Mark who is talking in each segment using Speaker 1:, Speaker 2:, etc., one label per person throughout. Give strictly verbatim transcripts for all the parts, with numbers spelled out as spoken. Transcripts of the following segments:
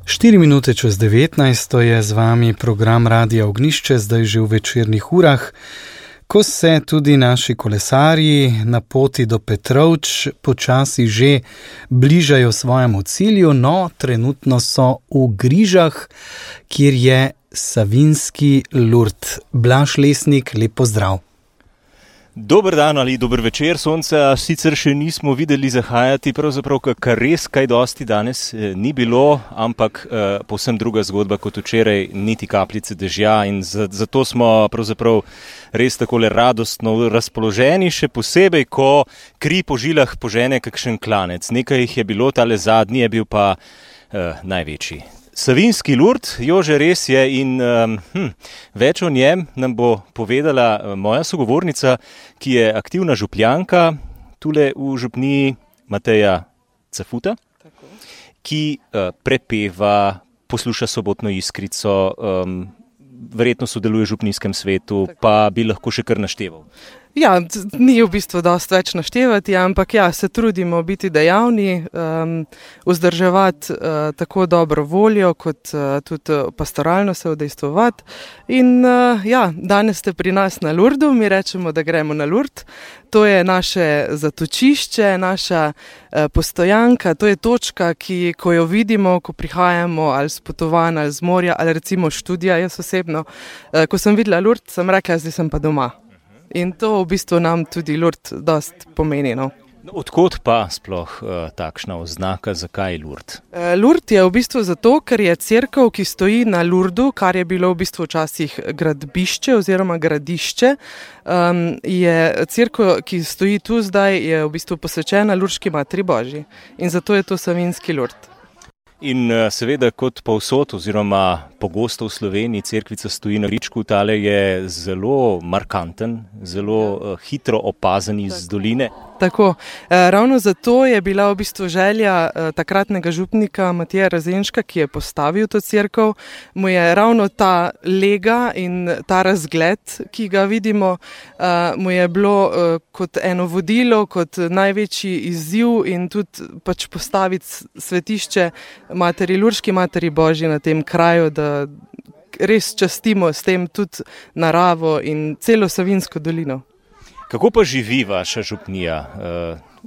Speaker 1: Štiri minute čez devetnajst je z vami program Radia Ognjišče, zdaj že v večernih urah, ko se tudi naši kolesarji na poti do Petrovč počasi že bližajo svojemu cilju, no trenutno so v Grižah, kjer je Savinjski Lurd. Blaž Lesnik, lep pozdrav.
Speaker 2: Dober dan ali dober večer, sonca sicer še nismo videli zahajati, pravzaprav kar res kaj dosti danes ni bilo, ampak eh, povsem druga zgodba kot včeraj, niti kapljice dežja in zato smo pravzaprav res takole radostno razpoloženi, še posebej, ko kri po žilah požene kakšen klanec. Nekaj jih je bilo, tale zadnji je bil pa eh, največji. Savinjski Lurd, Jože, res je in um, hm, več o njem nam bo povedala moja sogovornica, ki je aktivna župljanka, tule v župniji Mateja Cafuta, Tako. ki uh, prepeva, posluša Sobotno iskrico, um, verjetno sodeluje v župnijskem svetu, Tako. pa bi lahko še kar našteval.
Speaker 3: Ja, ni v bistvu dosti več naštevati, ampak ja, se trudimo biti dejavni, um, vzdrževati uh, tako dobro voljo, kot uh, tudi pastoralno se udejstvovati. In uh, ja, danes ste pri nas na Lurdu, mi rečemo, da gremo na Lurd. To je naše zatočišče, naša uh, postojanka, to je točka, ki, ko jo vidimo, ko prihajamo ali s potovanj, ali z morja, ali recimo študija, jaz osebno. Uh, ko sem videla Lurd, sem rekla, zdaj sem pa doma. In to v bistvu nam tudi Lurd dost pomeni. No.
Speaker 2: Odkot pa sploh uh, takšna oznaka, zakaj Lurd?
Speaker 3: Uh, Lurd je v bistvu zato, ker je cerkev, ki stoji na Lurdu, kar je bilo v bistvu včasih gradbišče oziroma gradišče. Um, je cerkev, ki stoji tu zdaj, je v bistvu posvečena Lurdski Materi Božji. In zato je to Savinjski Lurd.
Speaker 2: In seveda kot povsod oziroma pogosto v Sloveniji cerkvica stoji na gričku, tale je zelo markanten, zelo uh, hitro opazen iz doline.
Speaker 3: Tako, e, ravno zato je bila v bistvu želja e, takratnega župnika Mateja Razenška, ki je postavil to cerkev, mu je ravno ta lega in ta razgled, ki ga vidimo, e, mu je bilo e, kot eno vodilo, kot največji izziv in tudi pač postaviti svetišče Materi Lurdski Materi Božji na tem kraju, da res častimo s tem tudi naravo in celo Savinjsko dolino.
Speaker 2: Kako pa živi vaša župnija?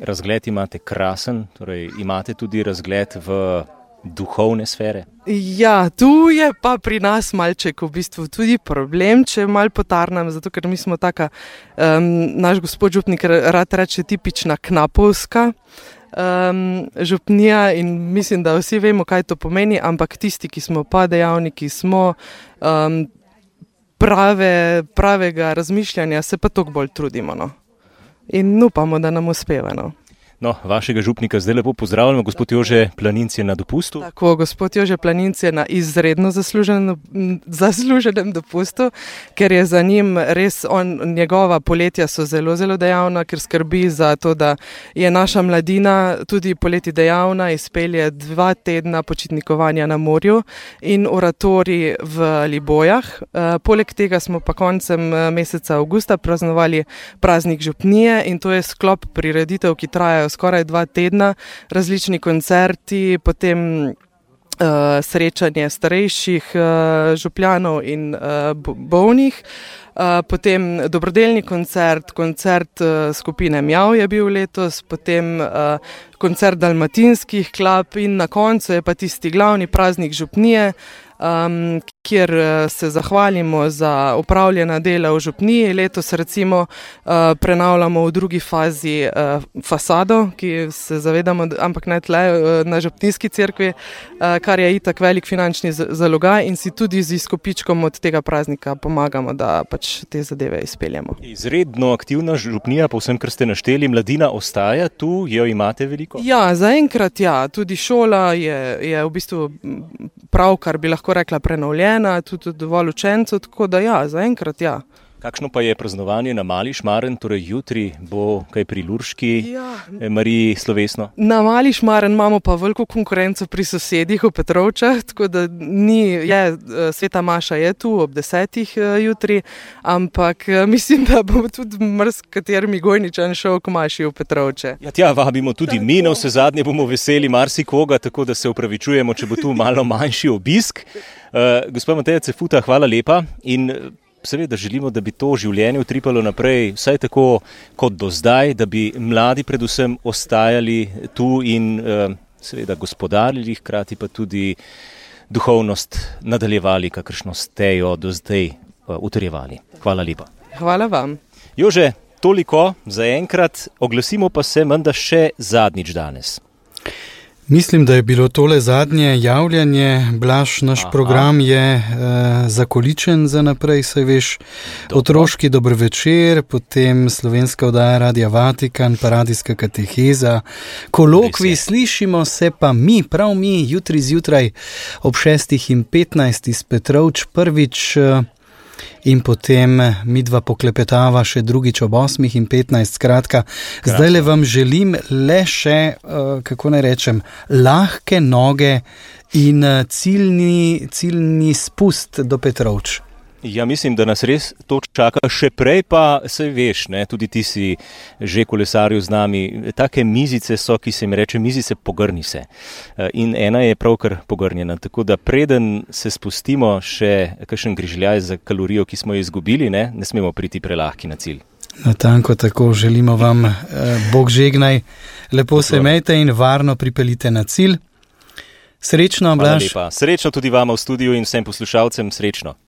Speaker 2: Razgled imate krasen, torej imate tudi razgled v duhovne sfere?
Speaker 3: Ja, tu je pa pri nas malček v bistvu tudi problem, če mal potarnam, zato ker mi smo taka, um, naš gospod župnik rad reče tipična knapovska um, župnija in mislim, da vsi vemo, kaj to pomeni, ampak tisti, ki smo pa dejavniki, smo um, Prave, pravega razmišljanja se pa toliko bolj trudimo. No. In upamo, da nam uspeva. No.
Speaker 2: No, vašega župnika zdaj lepo pozdravljamo, gospod Jože Planinc je na dopustu.
Speaker 3: Tako, gospod Jože Planinc je na izredno zasluženem, zasluženem dopustu, ker je za njim res, on, njegova poletja so zelo, zelo dejavna, ker skrbi za to, da je naša mladina tudi poleti dejavna, izpelje dva tedna počitnikovanja na morju in oratorij v Libojah. E, poleg tega smo pa koncem meseca avgusta praznovali praznik župnije in to je sklop prireditev, ki trajajo skoraj dva tedna, različni koncerti, potem uh, srečanje starejših uh, župljanov in uh, bolnih, uh, potem dobrodelni koncert, koncert uh, skupine Mjav je bil letos, potem uh, koncert dalmatinskih klap in na koncu je pa tisti glavni praznik župnije, Um, kjer se zahvalimo za upravljena dela v župniji. Letos recimo uh, prenavljamo v drugi fazi uh, fasado, ki se zavedamo, ampak ne tle uh, na župnijski cerkvi, uh, kar je itak velik finančni zalogaj in si tudi z izkupičkom od tega praznika pomagamo, da pač te zadeve izpeljemo.
Speaker 2: Izredno aktivna župnija, povsem, kar ste našteli, mladina ostaja tu, jo imate veliko?
Speaker 3: Ja, zaenkrat ja, tudi šola je, je v bistvu prav, kar bi lahko rekla prenovljena, tudi dovolj učencev, tako da ja, zaenkrat ja.
Speaker 2: Kakšno pa je praznovanje na Mali Šmaren, torej jutri bo kaj pri Lurški ja. Mariji slovesno?
Speaker 3: Na Mali Šmaren imamo pa veliko konkurenco pri sosedih v Petrovčah, tako da ni, je, Sveta Maša je tu ob desetih jutri, ampak mislim, da bo tudi mrz katerimi Gojničan šel k Maši v Petrovče.
Speaker 2: Ja, tja vabimo tudi mi, na vse zadnje bomo veseli marsikoga, tako da se opravičujemo, če bo tu malo manjši obisk. Uh, gospod Mateja Cefuta, hvala lepa in seveda želimo, da bi to življenje utripalo naprej, vsaj tako kot do zdaj, da bi mladi predvsem ostajali tu in uh, seveda gospodarili, hkrati pa tudi duhovnost nadaljevali, kakršno ste jo do zdaj uh, utrjevali. Hvala lepa.
Speaker 3: Hvala vam.
Speaker 2: Jože, toliko za enkrat, oglasimo pa se menda še zadnjič danes.
Speaker 1: Mislim, da je bilo tole zadnje javljanje. Blaž, naš Aha. program je e, zakoličen za naprej, saj veš, Dobro. Otroški dober večer, potem slovenska oddaja Radia Vatikan, pa radijska kateheza, kolokvi, slišimo se pa mi, prav mi, jutri zjutraj ob šestih in petnajst iz Petrovč prvič in potem midva poklepetava še drugič ob osmih in petnajst. Skratka, zdaj le vam želim le še, kako naj rečem, lahke noge in ciljni, ciljni spust do Petrovč.
Speaker 2: Ja, mislim, da nas res to čaka. Še prej pa, saj veš, ne, tudi ti si že kolesaril z nami, take mizice so, ki se jim reče mizice pogrni se. In ena je pravkar pogrnjena, tako da preden se spustimo še kakšen grižljaj za kalorijo, ki smo jo izgubili, ne, ne smemo priti prelahki na cilj.
Speaker 1: Natanko tako, želimo vam, eh, Bog žegnaj, lepo se imejte in varno pripeljite na cilj. Srečno, Blaž.
Speaker 2: Hvala lepa. Srečno tudi vama v studiu in vsem poslušalcem, srečno.